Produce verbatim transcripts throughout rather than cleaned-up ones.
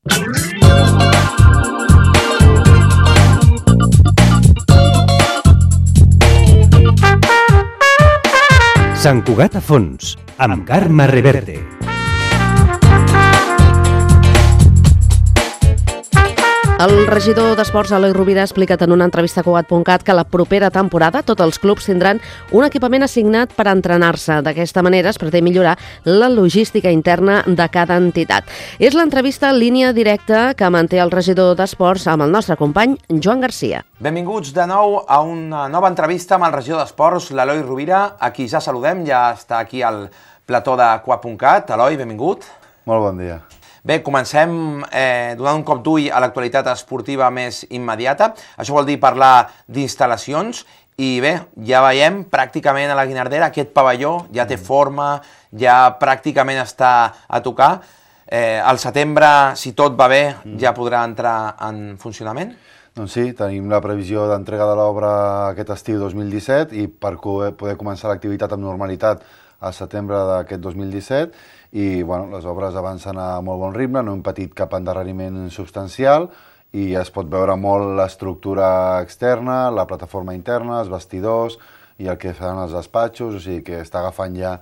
Sant Cugat a fons, amb Carme Reverte. El regidor d'Esports, Eloi Rovira, ha explicat en una entrevista a Cugat punt cat que la propera temporada tots els clubs tindran un equipament assignat per entrenar-se. D'aquesta manera es pretén millorar la logística interna de cada entitat. És l'entrevista en línia directa que manté el regidor d'Esports amb el nostre company Joan Garcia. Benvinguts de nou a una nova entrevista amb el regidor d'Esports, l'Eloi Rovira, a qui ja saludem, ja està aquí al plató de Cugat punt cat. Eloi, benvingut. Molt bon dia. Bé, comencem eh, donant un cop d'ull a l'actualitat esportiva més immediata. Això vol dir parlar d'instal·lacions i bé, ja veiem pràcticament a la Guinardera aquest pavelló ja té forma, ja pràcticament està a tocar. Eh, al setembre, si tot va bé, ja podrà entrar en funcionament? Doncs sí, tenim la previsió d'entrega de l'obra aquest estiu dos mil disset i per poder començar l'activitat amb normalitat al setembre d'aquest dos mil disset. I bueno, les obres avancen a molt bon ritme, no hem patit cap endarreriment substancial i es pot veure molt l'estructura externa, la plataforma interna, els vestidors i el que faran els despatxos, o sigui que està agafant ja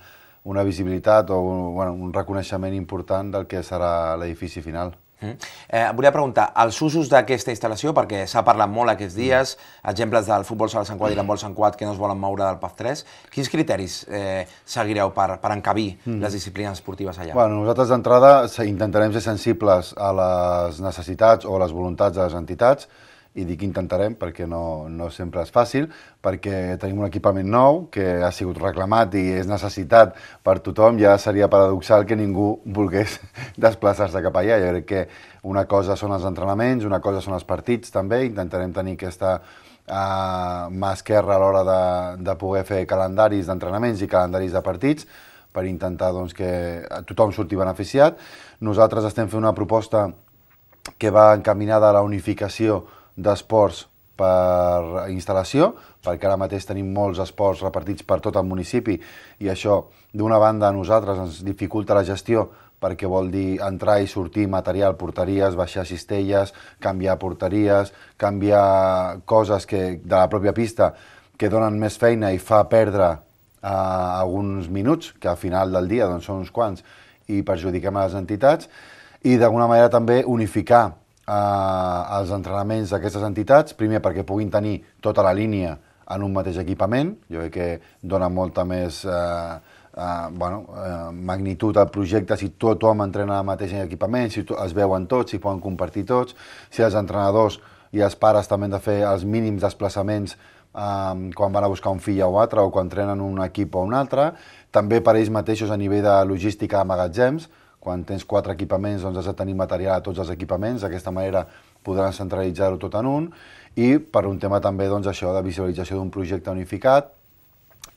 una visibilitat o un, bueno, un reconeixement important del que serà l'edifici final. Mm. Eh, volia preguntar, els usos d'aquesta instal·lació, perquè s'ha parlat molt aquests dies, exemples del futbol sala Sant Cugat i l'handbol Sant Cugat que no es volen moure del P A F tres, quins criteris eh, seguireu per, per encabir mm. les disciplines esportives allà? Bueno, nosaltres d'entrada intentarem ser sensibles a les necessitats o a les voluntats de les entitats, i dic intentarem perquè no, no sempre és fàcil, perquè tenim un equipament nou que ha sigut reclamat i és necessitat per tothom. Ja seria paradoxal que ningú volgués desplaçar-se cap allà. Jo crec que una cosa són els entrenaments, una cosa són els partits també, intentarem tenir aquesta uh, mà esquerra a l'hora de, de poder fer calendaris d'entrenaments i calendaris de partits per intentar doncs, que tothom surti beneficiat. Nosaltres estem fent una proposta que va encaminada a la unificació d'esports per instal·lació, perquè ara mateix tenim molts esports repartits per tot el municipi i això, d'una banda, a nosaltres ens dificulta la gestió perquè vol dir entrar i sortir material, porteries, baixar cistelles, canviar porteries, canviar coses que, de la pròpia pista que donen més feina i fa perdre eh, alguns minuts, que al final del dia doncs, són uns quants, i perjudiquem a les entitats, i d'alguna manera també unificar Uh, els entrenaments d'aquestes entitats, primer perquè puguin tenir tota la línia en un mateix equipament. Jo crec que dona molta més uh, uh, bueno, uh, magnitud al projecte si tothom entrena el mateix equipament, si es veuen tots, si poden compartir tots, si els entrenadors i els pares també han de fer els mínims desplaçaments um, quan van a buscar un fill o altre o quan entrenen un equip o un altre. També per ells mateixos a nivell de logística de magatzems. Quan tens quatre equipaments, doncs has de tenir material a tots els equipaments, d'aquesta manera podran centralitzar-ho tot en un, i per un tema també doncs, això de visualització d'un projecte unificat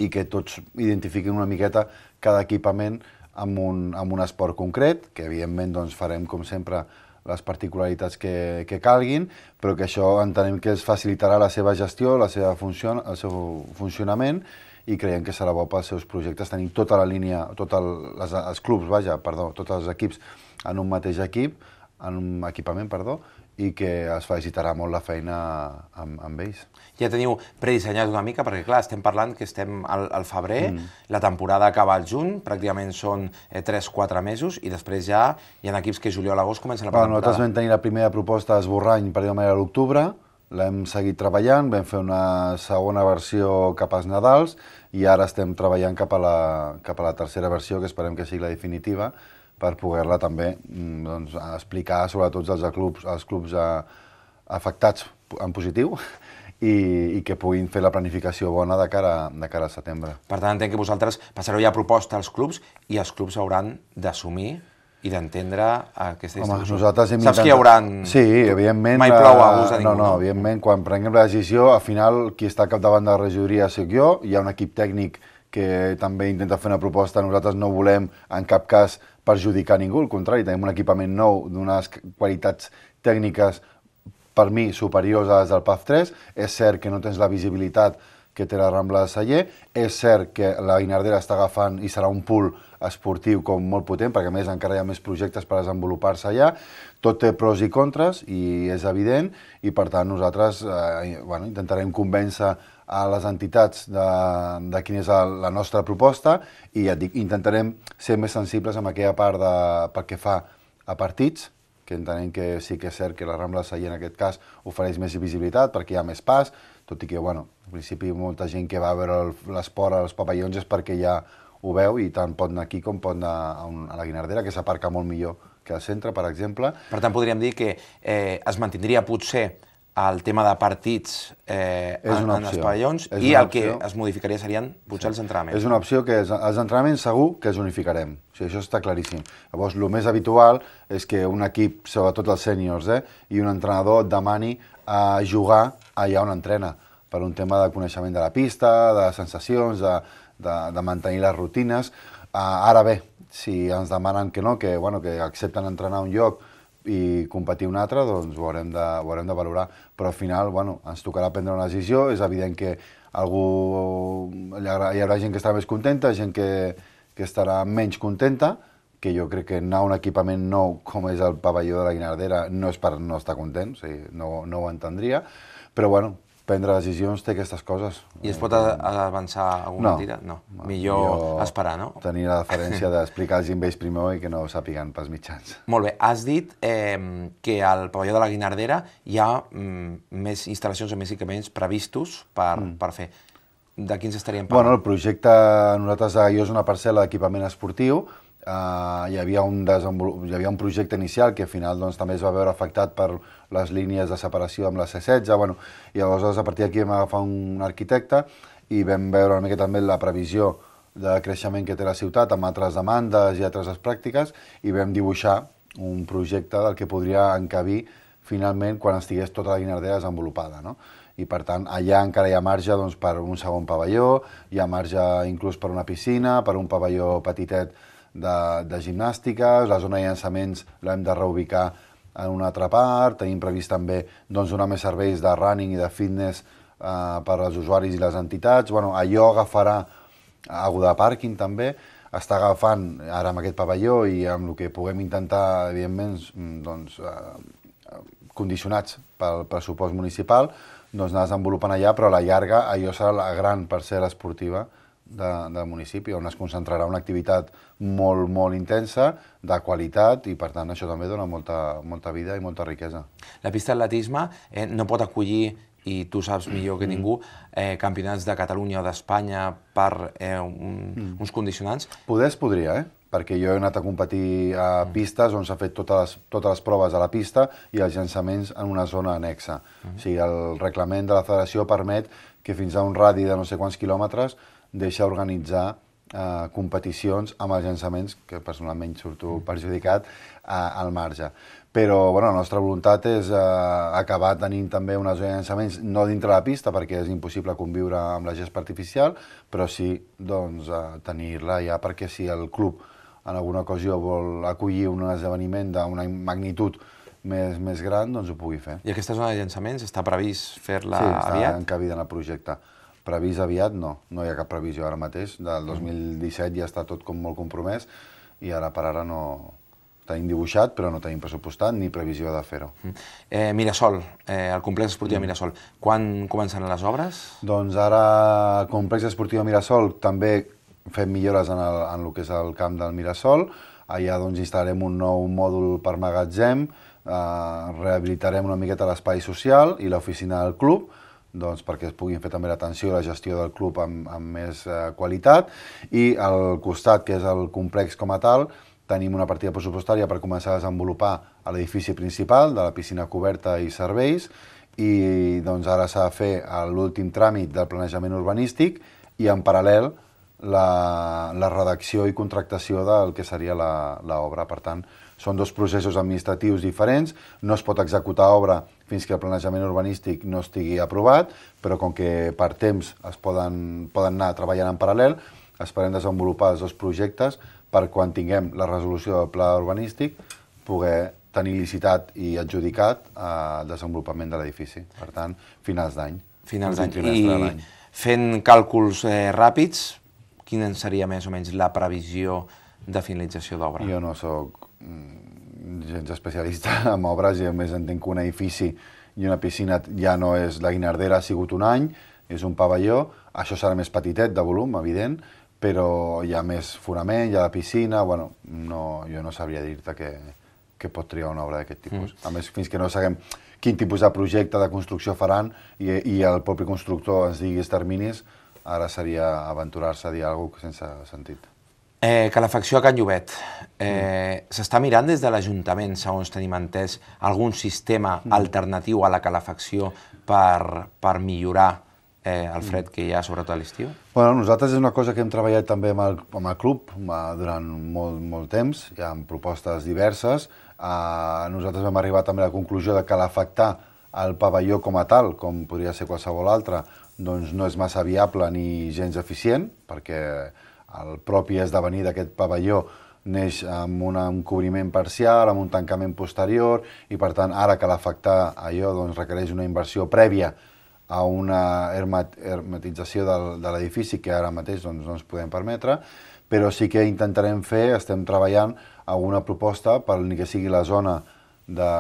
i que tots identifiquin una miqueta cada equipament amb un, amb un esport concret, que evidentment doncs, farem com sempre les particularitats que, que calguin, però que això entenem que es facilitarà la seva gestió, la seva funció, el seu funcionament, i creiem que serà bo pels seus projectes tenir tota la línia, tots el, les, els clubs, vaja, perdó, tots els equips en un mateix equip, en un equipament, perdó, i que es facilitarà molt la feina amb, amb ells. Ja teniu predissenyat una mica, perquè clar, estem parlant que estem al, al febrer, mm. la temporada acaba al juny, pràcticament són eh, tres quatre mesos, i després ja hi ha equips que juliol-agost comencen la bueno, temporada. Nosaltres vam tenir la primera proposta d'esborrany, per dir-ho manera, a l'octubre, l'hem seguit treballant, vam fer una segona versió cap als Nadals i ara estem treballant cap a la, cap a la tercera versió, que esperem que sigui la definitiva, per poder-la també doncs, explicar sobretot als clubs, als clubs a, afectats en positiu i, i que puguin fer la planificació bona de cara, de cara a setembre. Per tant, entenc que vosaltres passareu ja proposta als clubs i els clubs hauran d'assumir i d'entendre aquesta distribució. Home, nosaltres hem Saps que hi haurà... Sí, evidentment... Mai plou a gust de ningú. No, no, evidentment, quan prenguem la decisió, al final, qui està capdavant de la regidoria soc jo, hi ha un equip tècnic que també intenta fer una proposta, nosaltres no volem en cap cas perjudicar ningú, al contrari, tenim un equipament nou d'unes qualitats tècniques per mi superiors a les del P A F tres, és cert que no tens la visibilitat que té la Rambla de Celler, és cert que la Guinardera està agafant i serà un pool esportiu com molt potent, perquè a més encara hi ha més projectes per desenvolupar-se allà. Tot té pros i contres, i és evident, i per tant nosaltres eh, bueno, intentarem convèncer a les entitats de, de quina és la nostra proposta, i ja et dic, intentarem ser més sensibles amb aquella part de, pel que fa a partits, que entenem que sí que és cert que la Rambla Sallent en aquest cas ofereix més visibilitat perquè hi ha més pas, tot i que, bueno, en principi molta gent que va a veure l'esport als pavellons és perquè ja ho veu i tant pot anar aquí com pot anar a, un, a la Guinardera, que s'aparca molt millor que al centre, per exemple. Per tant, podríem dir que eh, es mantindria potser el tema de partits eh, en, en els pavellons i el que es modificaria serien potser els entrenaments. És una opció que és, els entrenaments segur que els unificarem, o sigui, això està claríssim. Llavors, el més habitual és que un equip, sobretot els sèniors, eh, i un entrenador et demani a jugar allà on entrena, per un tema de coneixement de la pista, de sensacions, de, de, de mantenir les rutines. Uh, ara bé, si ens demanen que no, que, bueno, que accepten entrenar un lloc i competir un altre, doncs ho haurem de, ho haurem de valorar. Però al final, bueno, ens tocarà prendre una decisió. És evident que algú, hi haurà, hi haurà gent que estarà més contenta, gent que, que estarà menys contenta, que jo crec que anar a un equipament nou, com és el pavelló de la Guinardera, no és per no estar content, o sigui, no, no ho entendria, però bueno, prendre decisions té aquestes coses. I es pot avançar alguna no, tira? No. no. Millor, millor esperar, no? Tenir la deferència d'explicar als ells primer i que no ho sàpiguen pels mitjans. Molt bé. Has dit eh, que al pavelló de la Guinardera hi ha mm, més instal·lacions o més equipaments previstos per, mm. per fer. De quins estaríem parlant? Bueno, el projecte, nosaltres, jo és una parcel·la d'equipament esportiu. Uh, hi, havia un hi havia un projecte inicial que al final doncs, també es va veure afectat per les línies de separació amb la C setze. Bueno, i llavors a partir d'aquí vam agafar un arquitecte i vam veure una mica també la previsió de creixement que té la ciutat amb altres demandes i altres pràctiques i vam dibuixar un projecte del que podria encabir finalment quan estigués tota la Guinardera desenvolupada, no? I per tant allà encara hi ha marge doncs, per un segon pavelló, hi ha marge inclús per una piscina, per un pavelló petitet De, de gimnàstica, la zona de llançaments l'hem de reubicar en una altra part, tenim previst també doncs, donar més serveis de running i de fitness eh, per als usuaris i les entitats. Bueno, allò agafarà alguna de pàrquing també, està agafant ara amb aquest pavelló i amb el que puguem intentar, evidentment, doncs, eh, condicionats pel pressupost municipal, doncs anar desenvolupant allà, però a la llarga allò serà la gran parcel·la esportiva De, del municipi, on es concentrarà una activitat molt, molt intensa, de qualitat, i per tant això també dona molta, molta vida i molta riquesa. La pista d'atletisme eh, no pot acollir, i tu saps millor que ningú, eh, campionats de Catalunya o d'Espanya per eh, un, mm. uns condicionants? Poder es podria, eh? Perquè jo he anat a competir a pistes on s'ha fet totes les, totes les proves a la pista i els llançaments en una zona anexa. Mm. O sigui, el reglament de la federació permet que fins a un radi de no sé quants quilòmetres deixa organitzar eh, competicions amb els llançaments, que personalment surto perjudicat, eh, al marge. Però bueno, la nostra voluntat és eh, acabar tenint també una zona de llançaments, no dintre la pista, perquè és impossible conviure amb la gespa artificial, però sí doncs, eh, tenir-la ja, perquè si el club en alguna ocasió vol acollir un esdeveniment d'una magnitud més, més gran, doncs ho pugui fer. I aquesta zona de llançaments està previst fer-la aviat? Sí, està aviat? encabida en el projecte. Previst aviat no, no hi ha cap previsió ara mateix. Del dos mil disset ja està tot com molt compromès i ara per ara no tenim dibuixat, però no tenim pressupostat ni previsió de fer-ho. Eh, Mirasol, eh, el complex esportiu de Mirasol, quan començaran les obres? Doncs ara el complex esportiu de Mirasol també fem millores en el, en el que és el camp del Mirasol. Allà doncs, instal·larem un nou mòdul per magatzem, eh, rehabilitarem una miqueta l'espai social i l'oficina del club, doncs, perquè es puguin fer també l'atenció i la gestió del club amb, amb més eh, qualitat, i al costat, que és el complex com a tal, tenim una partida pressupostària per començar a desenvolupar a l'edifici principal de la piscina coberta i serveis, i doncs, ara s'ha de fer l'últim tràmit del planejament urbanístic i en paral·lel la, la redacció i contractació del que seria l'obra. Per tant, són dos processos administratius diferents, no es pot executar obra fins que el planejament urbanístic no estigui aprovat, però com que per temps es poden, poden anar treballant en paral·lel, esperem desenvolupar els dos projectes per quan tinguem la resolució del pla urbanístic poder tenir licitat i adjudicat el desenvolupament de l'edifici. Per tant, finals d'any. Finals d'any. I fent càlculs eh, ràpids, quina seria més o menys la previsió de finalització d'obra. Jo no sóc gens especialista en obres i a més entenc que un edifici i una piscina ja no és la Guinardera, ha sigut un any, és un pavelló, això serà més petitet de volum, evident, però hi ha més fonament, hi ha la piscina, bueno, no, jo no sabria dir-te que, que pot triar una obra d'aquest tipus. Mm. A més, fins que no sabem quin tipus de projecte de construcció faran i, i el propi constructor ens digui els terminis, ara seria aventurar-se a dir alguna cosa sense sentit. Eh, calefacció a Can Llobet. Eh, mm. S'està mirant des de l'Ajuntament, segons tenim entès, algun sistema mm. alternatiu a la calefacció per, per millorar eh, el fred que hi ha, sobretot a l'estiu? Bueno, nosaltres és una cosa que hem treballat també amb el, amb el club durant molt, molt temps, hi ha propostes diverses. Eh, nosaltres vam arribar també a la conclusió de calefactar el pavelló com a tal, com podria ser qualsevol altre, doncs no és massa viable ni gens eficient, perquè el propi esdevenir d'aquest pavelló neix amb un cobriment parcial, amb un tancament posterior, i per tant ara calefactar allò doncs, requereix una inversió prèvia a una hermetització del, de l'edifici que ara mateix doncs, no ens podem permetre, però sí que intentarem fer, estem treballant a una proposta per ni que sigui la zona de,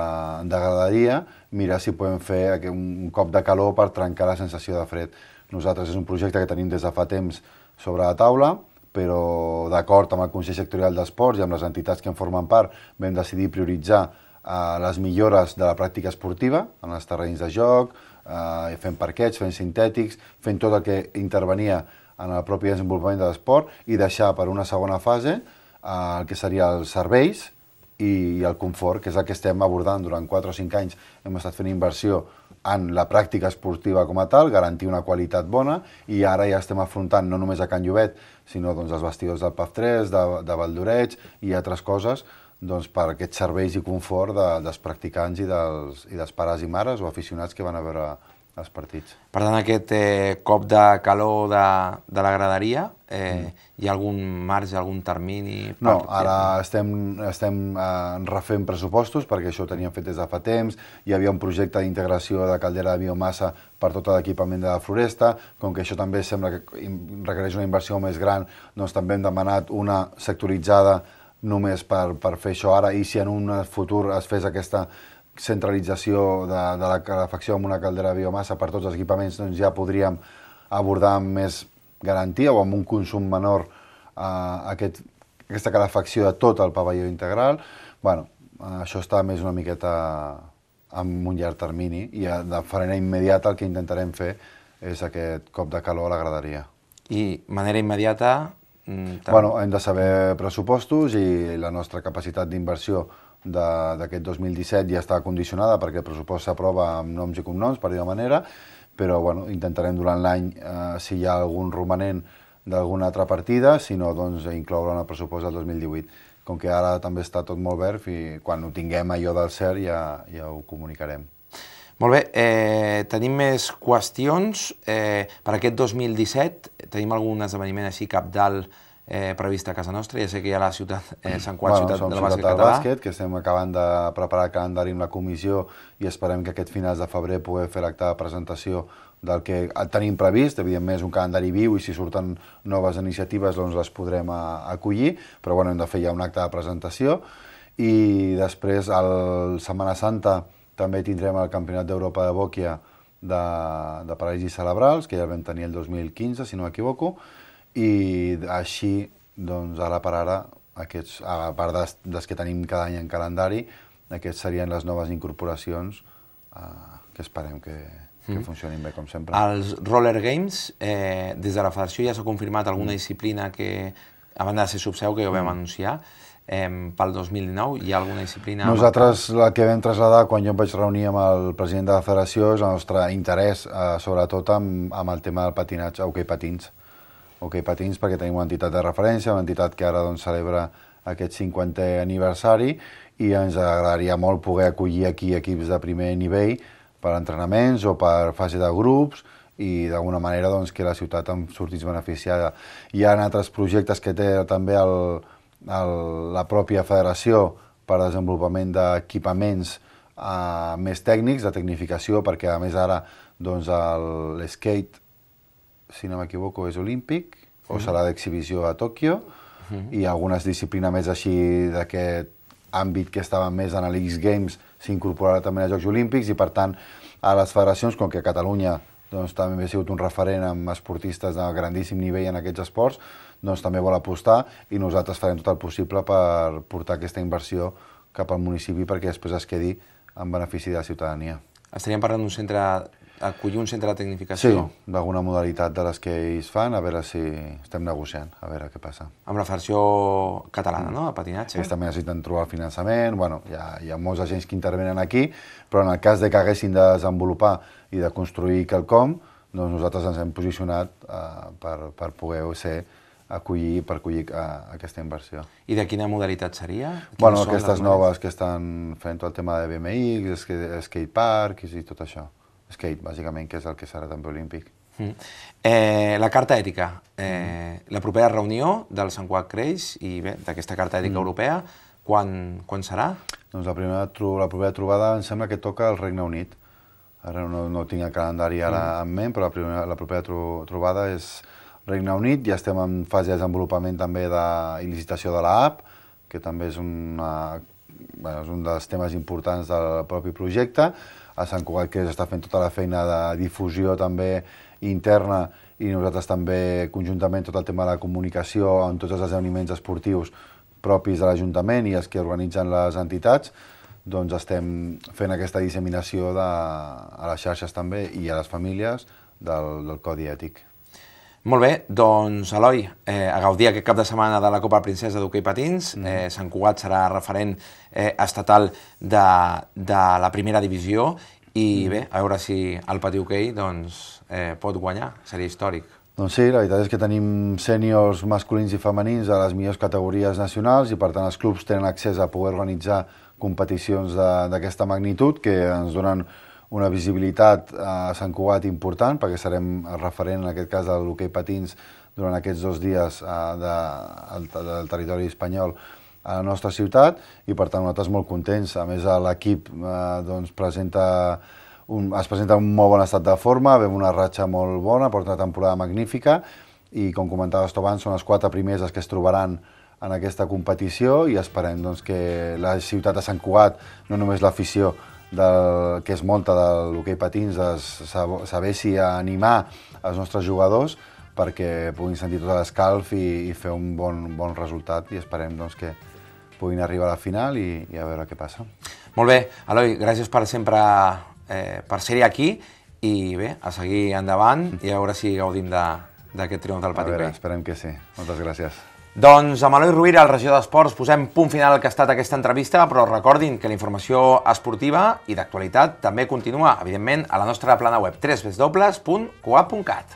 de graderia, mirar si podem fer un cop de calor per trencar la sensació de fred. Nosaltres és un projecte que tenim des de fa temps sobre la taula, però d'acord amb el Consell Sectorial d'Esports i amb les entitats que en formen part vam decidir prioritzar eh, les millores de la pràctica esportiva en els terrenys de joc, eh, fent parquets, fent sintètics, fent tot el que intervenia en el propi desenvolupament de l'esport i deixar per una segona fase eh, el que seria els serveis i el confort, que és el que estem abordant durant quatre o cinc anys. Hem estat fent inversió en la pràctica esportiva com a tal, garantir una qualitat bona, i ara ja estem afrontant no només a Can Llobet, sinó doncs, els vestidors del P A F tres, de, de Valldoreix i altres coses doncs, per aquests serveis i confort de, dels practicants i dels, i dels pares i mares o aficionats que van a veure els partits. Per tant, aquest eh, cop de calor de, de la graderia, eh, mm. hi ha algun marge, algun termini? Per... No, ara estem, estem eh, refent pressupostos, perquè això ho teníem fet des de fa temps, hi havia un projecte d'integració de caldera de biomassa per tot l'equipament de la floresta, com que això també sembla que requereix una inversió més gran, doncs també hem demanat una sectoritzada només per, per fer això ara, i si en un futur es fes aquesta centralització de, de la calefacció amb una caldera de biomassa per tots els equipaments, doncs ja podríem abordar amb més garantia o amb un consum menor eh, aquest, aquesta calefacció de tot el pavelló integral. Bueno, eh, això està més una miqueta amb un llarg termini i de manera immediata el que intentarem fer és aquest cop de calor a la graderia. I manera immediata... Mm, bueno, hem de saber pressupostos i la nostra capacitat d'inversió d'aquest dos mil disset ja està condicionada perquè el pressupost s'aprova amb noms i cognoms, per dir-ho manera, però bueno, intentarem durant l'any, eh, si hi ha algun romanent d'alguna altra partida, si no, doncs incloure en el pressupost del dos mil divuit. Com que ara també està tot molt verd i quan ho tinguem allò del cert ja, ja ho comunicarem. Molt bé, eh, tenim més qüestions. Eh, per aquest dos mil disset tenim algun esdeveniment així capdalt Eh, prevista a casa nostra? Ja sé que hi ha la ciutat, eh, Sant Cugat, bueno, ciutat del bàsquet bàsquet català. Bàsquet, que estem acabant de preparar el calendari amb la comissió i esperem que aquest finals de febrer poder fer l'acte de presentació del que tenim previst. Evidentment és un calendari viu i si surten noves iniciatives doncs les podrem a, acollir, però bueno, hem de fer ja un acte de presentació. I després, a la Setmana Santa, també tindrem el Campionat d'Europa de Bòquia de, de paràlisis cerebrals, que ja el vam tenir el dos mil quinze, si no m'equivoco, i així, doncs, ara per ara, aquests, a part des, des que tenim cada any en calendari, aquests serien les noves incorporacions eh, que esperem que, que mm. funcionin bé, com sempre. Els Roller Games, eh, des de la federació ja s'ha confirmat alguna mm. disciplina que, a banda de ser subseu, que ja ho vam mm. anunciar, eh, pel dos mil dinou, hi ha alguna disciplina... Nosaltres la que vam traslladar quan jo em vaig reunir amb el president de la federació és el nostre interès, eh, sobretot amb, amb el tema del patinatge, hoquei patins. Hoquei patins perquè tenim una entitat de referència, una entitat que ara doncs, celebra aquest cinquantè aniversari i ens agradaria molt poder acollir aquí equips de primer nivell per entrenaments o per fase de grups i d'alguna manera doncs, que la ciutat en sortís beneficiada. Hi ha altres projectes que té també el, el, la pròpia federació per desenvolupament d'equipaments eh, més tècnics, de tecnificació, perquè a més ara doncs, l'skate, si no m'equivoco, és olímpic, o serà d'exhibició a Tòquio, i algunes disciplines més així d'aquest àmbit que estaven més en l'X Games s'incorporarà també als Jocs Olímpics i, per tant, a les federacions, com que Catalunya doncs, també ha sigut un referent amb esportistes de grandíssim nivell en aquests esports, doncs també vol apostar i nosaltres farem tot el possible per portar aquesta inversió cap al municipi perquè després es quedi en benefici de la ciutadania. Estaríem parlant d'un centre, acollir un centre de tecnificació? Sí, d'alguna modalitat de les que ells fan, a veure si estem negociant, a veure què passa. Amb la versió catalana, no?, de patinatge? Ells també necessiten trobar el finançament, bueno, hi ha, hi ha molts agents que intervenen aquí, però en el cas de que haguessin de desenvolupar i de construir quelcom, doncs nosaltres ens hem posicionat uh, per, per poder ser acollir, per acollir uh, aquesta inversió. I de quina modalitat seria? Bueno, aquestes noves que estan fent tot el tema de B M X, skate park i tot això. Skate, bàsicament, que és el que serà també olímpic. Mm. Eh, la carta ètica. Eh, mm. La propera reunió del Sant Cugat Creix i bé, d'aquesta carta ètica mm. europea, quan, quan serà? Doncs la, primera, la propera trobada em sembla que toca el Regne Unit. Ara no, no tinc el calendari ara mm. en ment, però la, primera, la propera tro, trobada és Regne Unit. Ja estem en fase de desenvolupament també de il·licitació de l'app, que també és, una, bueno, és un dels temes importants del propi projecte. A Sant Cugat que està fent tota la feina de difusió també interna i nosaltres també conjuntament tot el tema de la comunicació en tots els esdeveniments esportius propis de l'Ajuntament i els que organitzen les entitats, doncs estem fent aquesta disseminació de, a les xarxes també i a les famílies del, del codi ètic. Molt bé, doncs Eloi, eh, a gaudir aquest cap de setmana de la Copa Princesa d'hoquei patins. Mm. Eh, Sant Cugat serà referent eh, estatal de, de la primera divisió i mm. bé, a veure si el patí hoquei doncs, eh, pot guanyar, seria històric. Doncs sí, la veritat és que tenim sèniors masculins i femenins a les millors categories nacionals i per tant els clubs tenen accés a poder organitzar competicions d'aquesta magnitud que ens donen una visibilitat a Sant Cugat important, perquè serem el referent, en aquest cas, de l'hoquei patins durant aquests dos dies de, del territori espanyol a la nostra ciutat, i per tant nosaltres molt contents. A més, l'equip eh, doncs, presenta un, es presenta en un molt bon estat de forma, ve una ratxa molt bona, porta una temporada magnífica, i com comentaves tu abans, són els quatre primers els que es trobaran en aquesta competició, i esperem doncs, que la ciutat de Sant Cugat, no només l'afició, del, que és molta de l'hoquei patins, sabessi animar els nostres jugadors perquè puguin sentir tot l'escalf i, i fer un bon, bon resultat, i esperem doncs, que puguin arribar a la final i, i a veure què passa. Molt bé, Eloi, gràcies per sempre eh, per ser-hi aquí i bé, a seguir endavant i a veure si gaudim d'aquest triomf del patí hoquei. A veure, esperem que sí. Moltes gràcies. Doncs amb Eloi Rovira, el regidor d'Esports, posem punt final al que ha estat aquesta entrevista, però recordin que la informació esportiva i d'actualitat també continua, evidentment, a la nostra plana web w w w punt cugat punt cat.